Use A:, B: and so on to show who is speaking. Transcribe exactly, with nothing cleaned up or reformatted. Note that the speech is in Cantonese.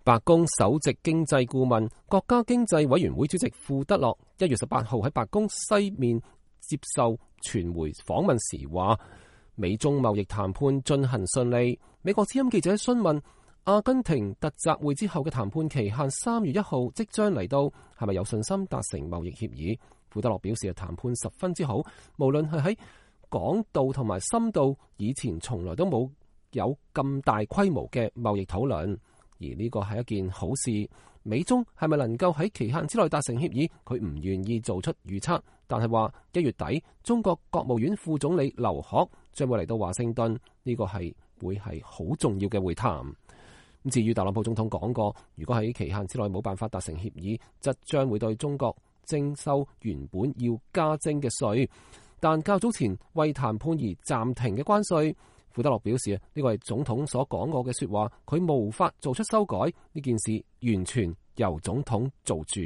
A: 白宮首席經濟顧問、國家經濟委員會主席庫德洛一月十八號喺白宮西面接受傳媒訪問時話，美中貿易談判進行順利。美國之音記者詢問阿根廷特集會之後嘅談判期限三月一號即將嚟到，係咪有信心達成貿易協議？庫德洛表示，談判十分之好，無論係喺廣度同埋深度，以前從來都冇有咁大規模嘅貿易討論。而呢個係一件好事。美中係咪能夠喺期限之內達成協議？佢唔願意做出預測，但係話一月底中國國務院副總理劉鶴將會嚟到華盛頓，呢個係會係好重要嘅會談。咁至於特朗普總統講過，如果喺期限之內冇辦法達成協議，則將會對中國徵收原本要加徵嘅稅。但較早前為談判而暫停嘅關稅，庫德洛表示呢個係總統所講過嘅說話，佢無法做出修改，呢件事完全由總統做主。